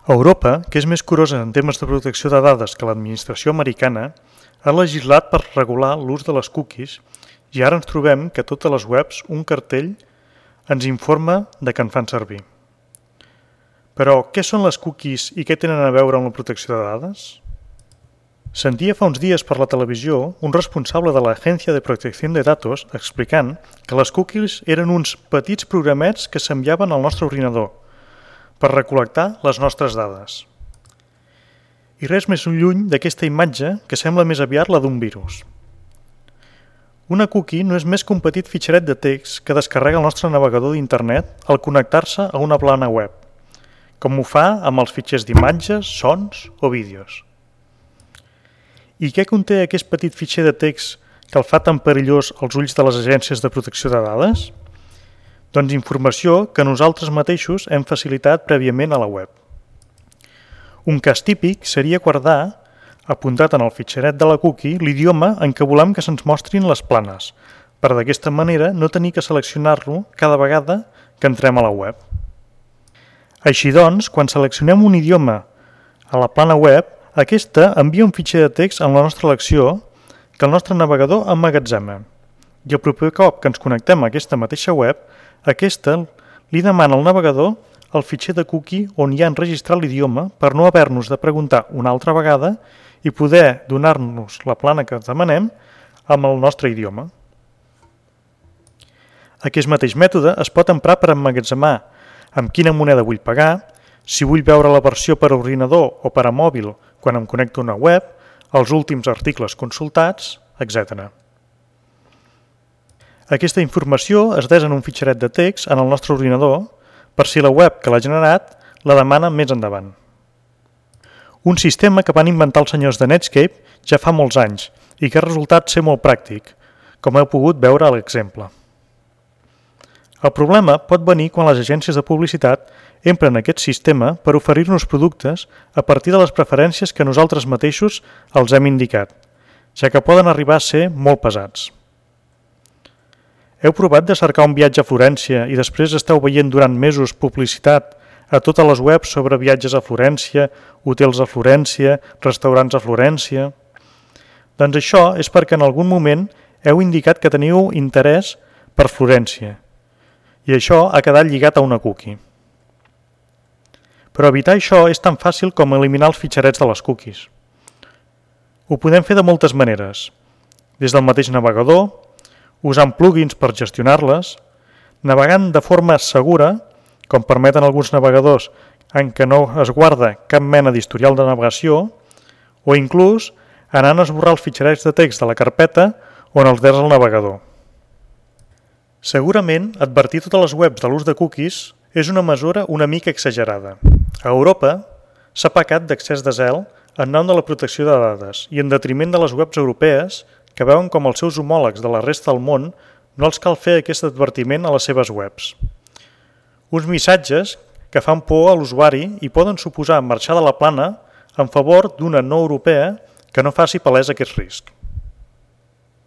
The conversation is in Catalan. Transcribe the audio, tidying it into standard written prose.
Europa, que és més curosa en temes de protecció de dades que l'administració americana, ha legislat per regular l'ús de les cookies i ara ens trobem que a totes les webs un cartell ens informa de que en fan servir. Però què són les cookies i què tenen a veure amb la protecció de dades? Sentia fa uns dies per la televisió un responsable de l'Agència de Protecció de Datos explicant que les cookies eren uns petits programets que s'enviaven al nostre ordinador per recol·lectar les nostres dades. I res més lluny d'aquesta imatge que sembla més aviat la d'un virus. Una cookie no és més que un petit fitxeret de text que descarrega el nostre navegador d'internet al connectar-se a una plana web, com ho fa amb els fitxers d'imatges, sons o vídeos. I què conté aquest petit fitxer de text que el fa tan perillós als ulls de les agències de protecció de dades? Doncs informació que nosaltres mateixos hem facilitat prèviament a la web. Un cas típic seria guardar, apuntat en el fitxeret de la cookie, l'idioma en què volem que se'ns mostrin les planes, per d'aquesta manera no tenir que seleccionar-lo cada vegada que entrem a la web. Així doncs, quan seleccionem un idioma a la plana web, aquesta envia un fitxer de text en la nostra elecció que el nostre navegador emmagatzema. I el proper cop que ens connectem a aquesta mateixa web, aquesta li demana al navegador el fitxer de cookie on hi ha enregistrat l'idioma per no haver-nos de preguntar una altra vegada i poder donar-nos la plana que demanem amb el nostre idioma. Aquest mateix mètode es pot emprar per emmagatzemar amb quina moneda vull pagar, si vull veure la versió per ordinador o per a mòbil quan em connecto a una web, els últims articles consultats, etc. Aquesta informació es des en un fitxeret de text en el nostre ordinador per si la web que l'ha generat la demana més endavant. Un sistema que van inventar els senyors de Netscape ja fa molts anys i que ha resultat ser molt pràctic, com heu pogut veure a l'exemple. El problema pot venir quan les agències de publicitat empren aquest sistema per oferir-nos productes a partir de les preferències que nosaltres mateixos els hem indicat, ja que poden arribar a ser molt pesats. Heu provat de cercar un viatge a Florència i després esteu veient durant mesos publicitat a totes les webs sobre viatges a Florència, hotels a Florència, restaurants a Florència? Doncs això és perquè en algun moment heu indicat que teniu interès per Florència i això ha quedat lligat a una cookie. Però evitar això és tan fàcil com eliminar els fitxerets de les cookies. Ho podem fer de moltes maneres, des del mateix navegador, usant plugins per gestionar-les, navegant de forma segura, com permeten alguns navegadors en què no es guarda cap mena d'historial de navegació, o inclús anant a esborrar els fitxerets de text de la carpeta on els des al navegador. Segurament, advertir totes les webs de l'ús de cookies és una mesura una mica exagerada. A Europa s'ha pecat d'excés de zel en nom de la protecció de dades i en detriment de les webs europees que veuen com els seus homòlegs de la resta del món no els cal fer aquest advertiment a les seves webs. Uns missatges que fan por a l'usuari i poden suposar marxar de la plana en favor d'una no europea que no faci palès aquest risc.